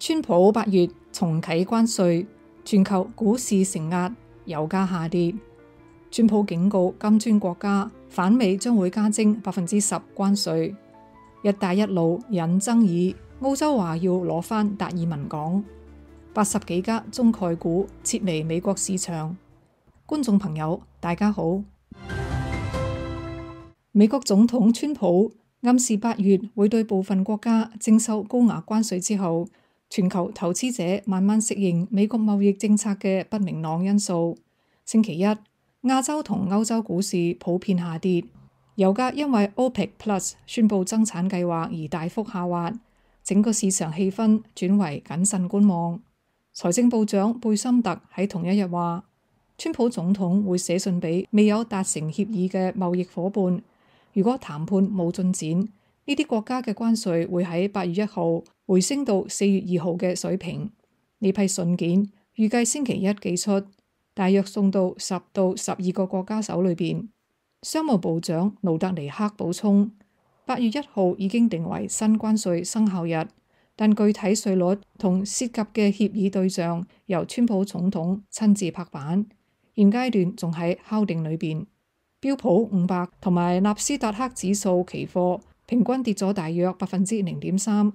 川普8月重啟關稅，全球股市承壓，油價下跌。川普警告金磚國家，反美將會加徵10%關稅。一帶一路引爭議，澳洲話要攞返達爾文港。80幾家中概股撤離美國市場。觀眾朋友，大家好。美國總統川普暗示8月會對部分國家徵收高額關稅之後，全球投資者慢慢適應美國貿易政策嘅不明朗因素。星期一，亞洲同歐洲股市普遍下跌，油價因為 OPEC Plus 宣布增產計劃而大幅下滑，整個市場氣氛轉為謹慎觀望。財政部長貝森特喺同一日話，川普總統會寫信俾未有達成協議嘅貿易夥伴，如果談判冇進展，呢啲國家嘅關稅會喺8月1號回升到4月2號嘅水平。呢批信件預計星期一寄出，大約送到10到12個國家手裏邊。商務部長盧特尼克補充，8月1號已經定為新關稅生效日，但具體稅率同涉及嘅協議對象由川普總統親自拍板，現階段仲喺敲定裏邊。標普500同埋納斯達克指數期貨平均跌咗大約0.3%，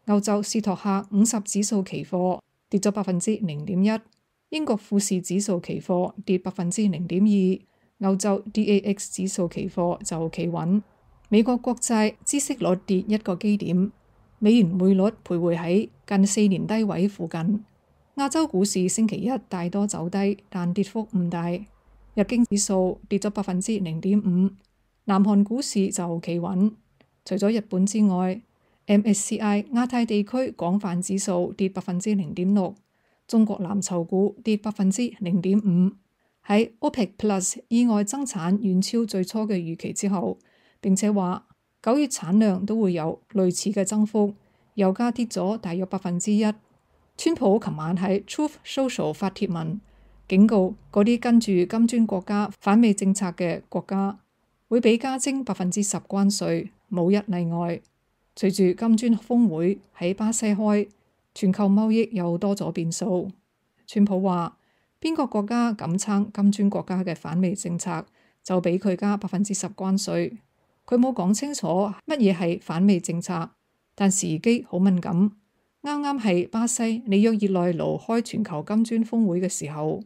歐洲斯托克50指數期貨跌咗0.1%，英國富時指數期貨跌0.2%，歐洲 DAX 指數期貨就企穩。美國國債孳息率跌1個基點，美元匯率徘徊喺近4年低位附近。亞洲股市星期一大多走低，但跌幅唔大。日經指數跌咗0.5%，南韓股市就企穩。除咗日本之外，MSCI 亞太地區廣泛指數跌0.6%，中國藍籌股跌0.5%。喺 OPEC Plus 意外增產遠超最初嘅預期之後，並且話9月產量都會有類似嘅增幅，油價跌咗大約1%。川普琴晚喺 Truth Social 發帖文，警告嗰啲跟住金磚國家反美政策嘅國家會被加徵10%關稅，冇一例外。隨住金磚峰會喺巴西開，全球貿易又多咗變數。川普話，邊個國家敢撐金磚國家嘅反美政策，就俾佢加10%關稅。佢冇講清楚乜嘢係反美政策，但時機好敏感。啱啱係巴西里約熱內盧開全球金磚峰會嘅時候，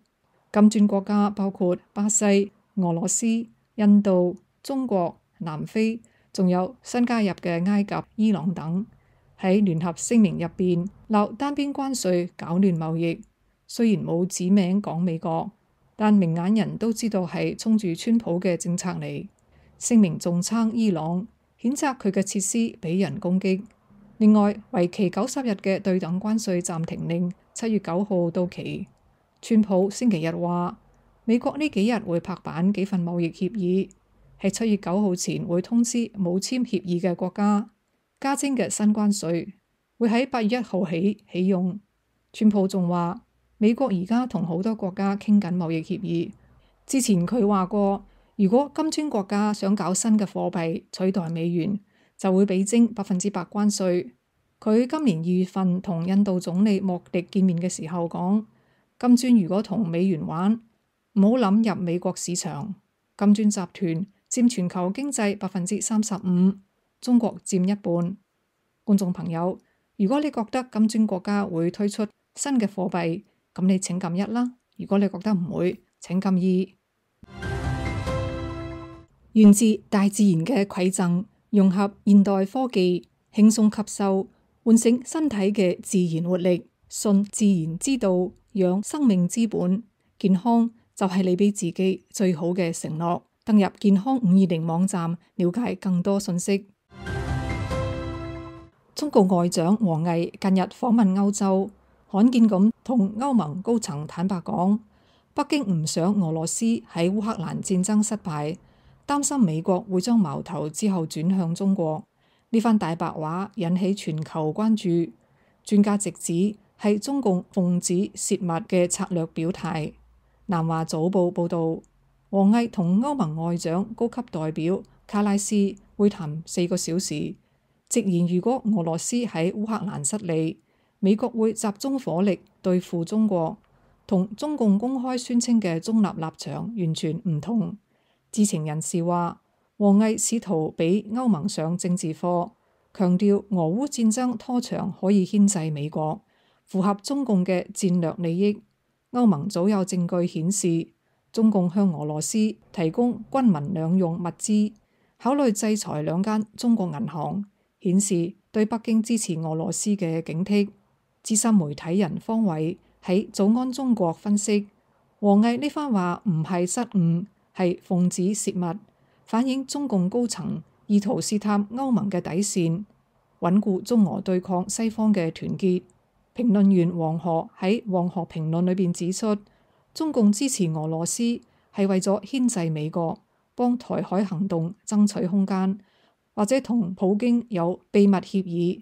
金磚國家包括巴西、俄羅斯、印度、中國、南非，仲有新加入嘅埃及、伊朗等，喺聯合聲明入邊鬧單邊關稅搞亂貿易。雖然冇指名講美國，但明眼人都知道係衝住川普嘅政策嚟。聲明仲撐伊朗，譴責佢嘅設施俾人攻擊。另外，為期90日嘅對等關稅暫停令7月9號到期。川普星期日話，美國呢幾日會拍板幾份貿易協議，喺7月9號前會通知冇簽協議嘅國家，加徵嘅新關稅會喺8月1號起用。川普仲話，美國而家同好多國家傾緊貿易協議。之前佢話過，如果金磚國家想搞新嘅貨幣取代美元，就會俾徵100%關稅。佢今年2月份同印度總理莫迪見面嘅時候講，金磚如果同美元玩，唔好諗入美國市場。金磚集團佔全球經濟35%，中國佔一半。觀眾朋友，如果你覺得金磚國家會推出新嘅貨幣，咁你請撳1啦。如果你覺得唔會，請撳2。源自大自然嘅饋贈，融合現代科技，輕鬆吸收，喚醒身體嘅自然活力，信自然之道，養生命之本。健康就係你俾自己最好嘅承諾。登入健康520網站，了解更多信息。中國外長王毅近日訪問歐洲，罕見咁同歐盟高層坦白講，北京唔想俄羅斯喺烏克蘭戰爭失敗，擔心美國會將矛頭之後轉向中國。呢番大白話引起全球關注，專家直指係中共奉旨泄密嘅策略表態。南華早報報導，王毅同歐盟外長高級代表卡拉斯會談4個小時，直言如果俄羅斯喺烏克蘭失利，美國會集中火力對付中國，同中共公開宣稱嘅中立立場完全唔同。知情人士話，王毅試圖俾歐盟上政治課，強調俄烏戰爭拖長可以牽制美國，符合中共嘅戰略利益。歐盟早有證據顯示，中共向俄羅斯提供軍民兩用物資，考慮制裁兩間中國銀行，顯示對北京支持俄羅斯嘅警惕。資深媒體人方偉喺早安中國分析，王毅呢番話唔係失誤，係奉旨泄密，反映中共高層意圖試探歐盟嘅底線，穩固中俄對抗西方嘅團結。評論員黃河喺黃河評論裏邊指出，中共支持俄羅斯係為咗牽制美國，幫台海行動爭取空間，或者同普京有秘密協議，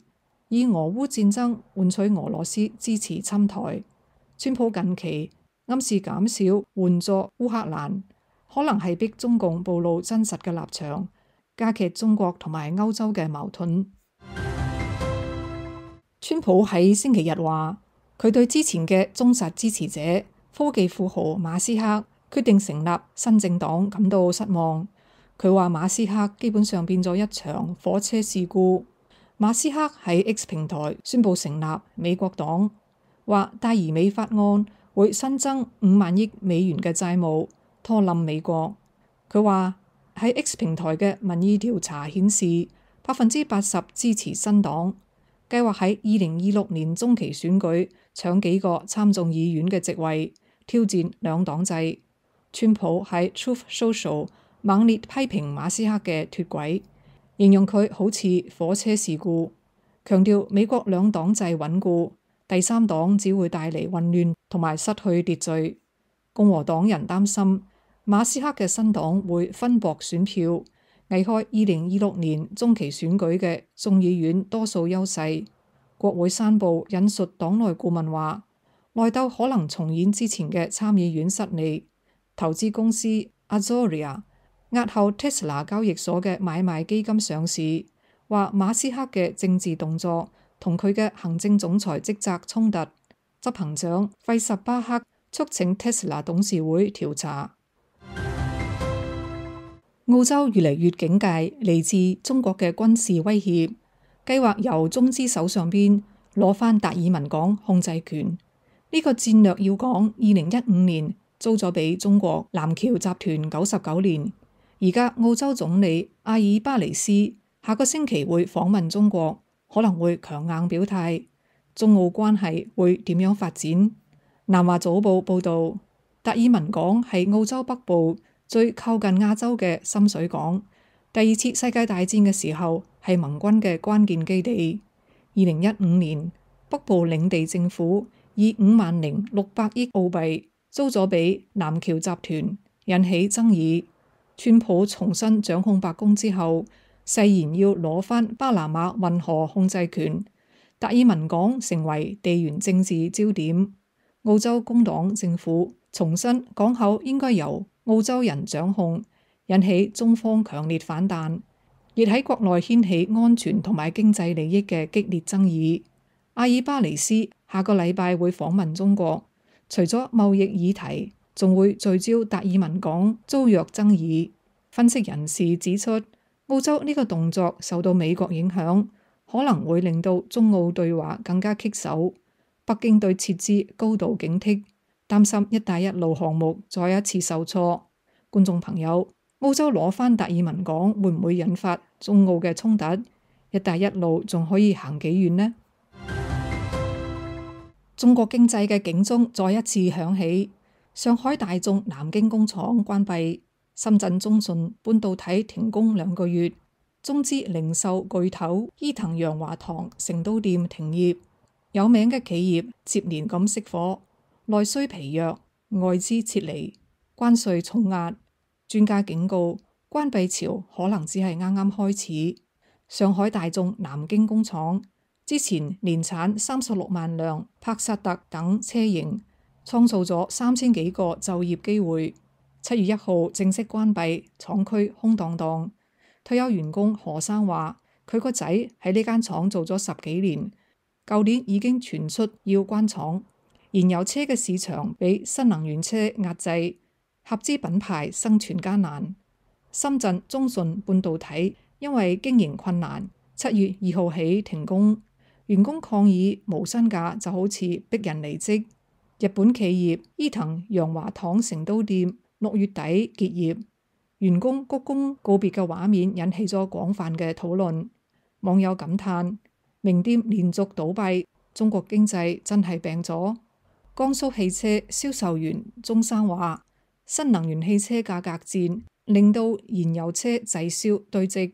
以俄烏戰爭換取俄羅斯支持侵台。川普近期暗示減少援助烏克蘭，可能係逼中共暴露真實嘅立場，加劇中國同埋歐洲嘅矛盾。川普喺星期日話，佢對之前嘅忠實支持者科技富豪馬斯克決定成立新政黨感到失望。佢話馬斯克基本上變咗一場火車事故。馬斯克喺 X 平台宣布成立美國黨，話大而美法案會新增5萬億美元嘅債務，拖冧美國。佢話喺 X 平台嘅民意調查顯示，80%支持新黨。計劃喺2026年中期選舉搶幾個參眾議院嘅席位，挑戰兩黨制。川普喺 Truth Social 猛烈批評馬斯克嘅脫軌，形容佢好似火車事故，強調美國兩黨制穩固，第三黨只會帶嚟混亂同埋失去秩序。共和黨人擔心馬斯克嘅新黨會分薄選票，危害2026年中期選舉嘅眾議院多數優勢。國會山報引述黨內顧問話，內鬥可能重演之前嘅參議院失利。投資公司 Azoria 押後 Tesla 交易所嘅買賣基金上市，話馬斯克嘅政治動作同佢嘅行政總裁職責衝突。執行長費什巴克促請 Tesla 董事會調查。澳洲越嚟越警戒嚟自中國嘅軍事威脅，計劃由中資手上邊攞返達爾文港控制權。呢個戰略要講2015年租咗俾中國南橋集團99年。而家澳洲總理阿爾巴尼斯下個星期會訪問中國，可能會強硬表態。中澳關係會點樣發展？南華早報報道，達爾文港係澳洲北部最靠近亞洲嘅深水港，第二次世界大戰嘅時候係盟軍嘅關鍵基地。2015年，北部領地政府以50600億澳幣租咗俾南橋集團，引起爭議。川普重新掌控白宮之後，誓言要攞返巴拿馬運河控制權，達爾文港成為地緣政治焦點。澳洲工黨政府重申港口應該由澳洲人掌控，引起中方強烈反彈，亦喺國內掀起安全同埋經濟利益嘅激烈爭議。阿爾巴尼斯下個禮拜會訪問中國，除咗貿易議題，仲會聚焦達爾文港租約爭議。分析人士指出，澳洲呢個動作受到美國影響，可能會令到中澳對話更加棘手。北京對撤資高度警惕，擔心一帶一路項目再一次受挫。觀眾朋友，澳洲攞返達爾文港會唔會引發中澳嘅衝突？一帶一路仲可以行幾遠呢？中國經濟嘅警鐘再一次響起，上海大眾南京工廠關閉，深圳中信半導體停工2個月，中資零售巨頭伊藤洋華堂成都店停業。有名嘅企業接連咁熄火，內需疲弱，外資撤離，關稅重壓。專家警告，關閉潮可能只係啱啱開始。上海大眾南京工廠之前年產36萬輛帕薩特等車型，創造咗3000幾個就業機會。7月1號正式關閉，廠區空蕩蕩。退休員工何生話：佢個仔喺呢間廠做咗10幾年。舊年已經傳出要關廠。燃油車嘅市場被新能源車壓制，合資品牌生存艱難。深圳中信半導體因為經營困難，7月2號起停工，員工抗議無薪假就好似逼人離職。日本企業伊藤洋華堂成都店6月底結業，員工鞠躬告別嘅畫面引起咗廣泛嘅討論。網友感嘆名店連續倒閉，中國經濟真係病咗。江蘇汽車銷售員鐘生話：新能源汽車價格戰令到燃油車滯銷堆積。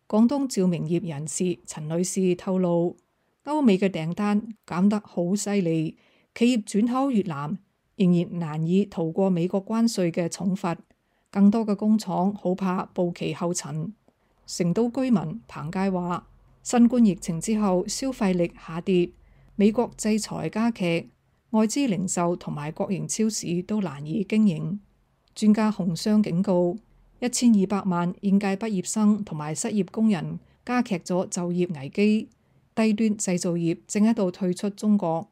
廣東照明業人士陳女士透露，歐美嘅訂單減得好犀利，企業轉口越南仍然難以逃過美國關稅嘅重罰，更多嘅工廠好怕步其後塵。成都居民彭佳話：新冠疫情之後消費力下跌，美國制裁加劇，外資零售同埋國營超市都難以經營。專家洪湘警告，1200萬應屆畢業生同埋失業工人加劇咗就業危機，低端製造業正喺度退出中國，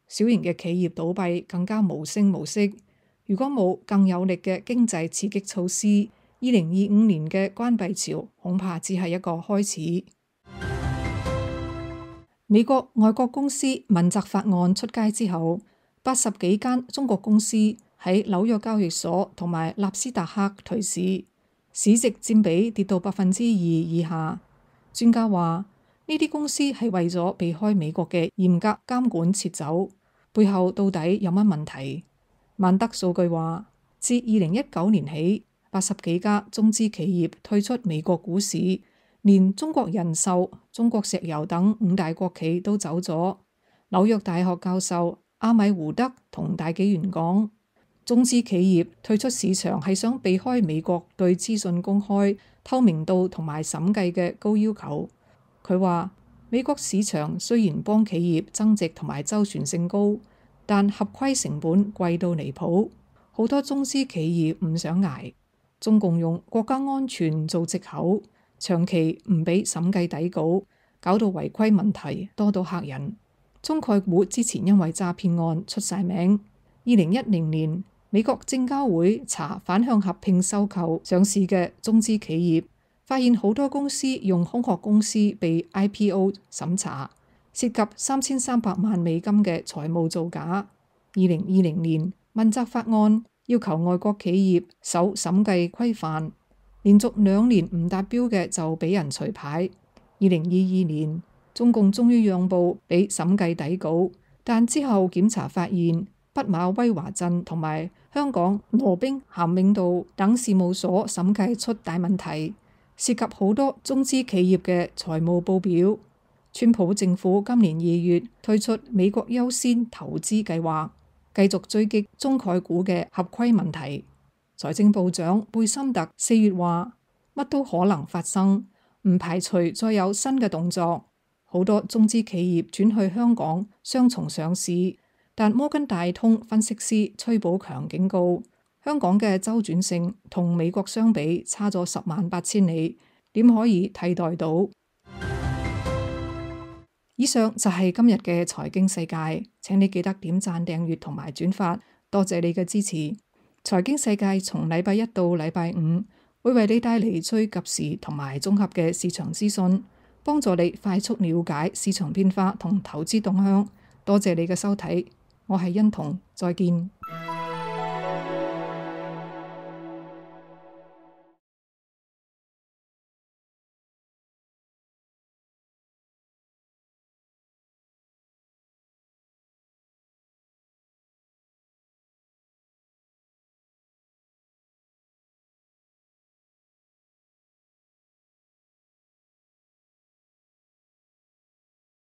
小型嘅企業倒閉更加無聲無息。如果冇更有力嘅經濟刺激措施，2025年嘅關閉潮恐怕只係一個開始。美國外國公司問責法案出街之後，80幾間中國公司喺紐約交易所同埋納斯達克退市，市值佔比跌到2%以下。專家話呢啲公司係為咗避開美國嘅嚴格監管撤走，背後到底有乜問題？萬德數據話，自2019年起，80幾家中資企業退出美國股市。連中國人壽、中國石油等5大國企都走咗。紐約大學教授阿米胡德同大紀元講，中資企業退出市場係想避開美國對資訊公開、透明度同埋審計嘅高要求。佢話美國市場雖然幫企業增值同埋周旋性高，但合規成本貴到離譜，好多中資企業唔想捱。中共用國家安全做藉口，長期唔俾審計底稿，搞到違規問題多到嚇人。中概股之前因為詐騙案出晒名。2010年美國證交會查反向合併收購上市嘅中資企業，發現好多公司用空殼公司被 IPO 審查，涉及3300萬美金嘅財務造假。2020年問責法案要求外國企業守審計規範，連續2年唔達標嘅就俾人除牌。2022年，中共終於讓步俾審計底稿，但之後檢查發現，畢馬威華鎮同埋香港羅兵咸永道等事務所審計出大問題，涉及好多中資企業嘅財務報表。川普政府今年2月推出美國優先投資計劃，繼續追擊中概股嘅合規問題。財政部長貝森特4月話：乜都可能發生，唔排除再有新嘅動作。好多中資企業轉去香港雙重上市，但摩根大通分析師崔寶強警告，香港嘅周轉性同美國相比差咗108000里，點可以替代到？以上就係今日嘅財經世界，請你記得點讚、訂閱同埋轉發，多謝你嘅支持。財經世界從禮拜一到禮拜五會為你帶嚟最及時同埋綜合嘅市場資訊，幫助你快速了解市場變化同投資動向。多謝你嘅收睇，我係欣彤，再見。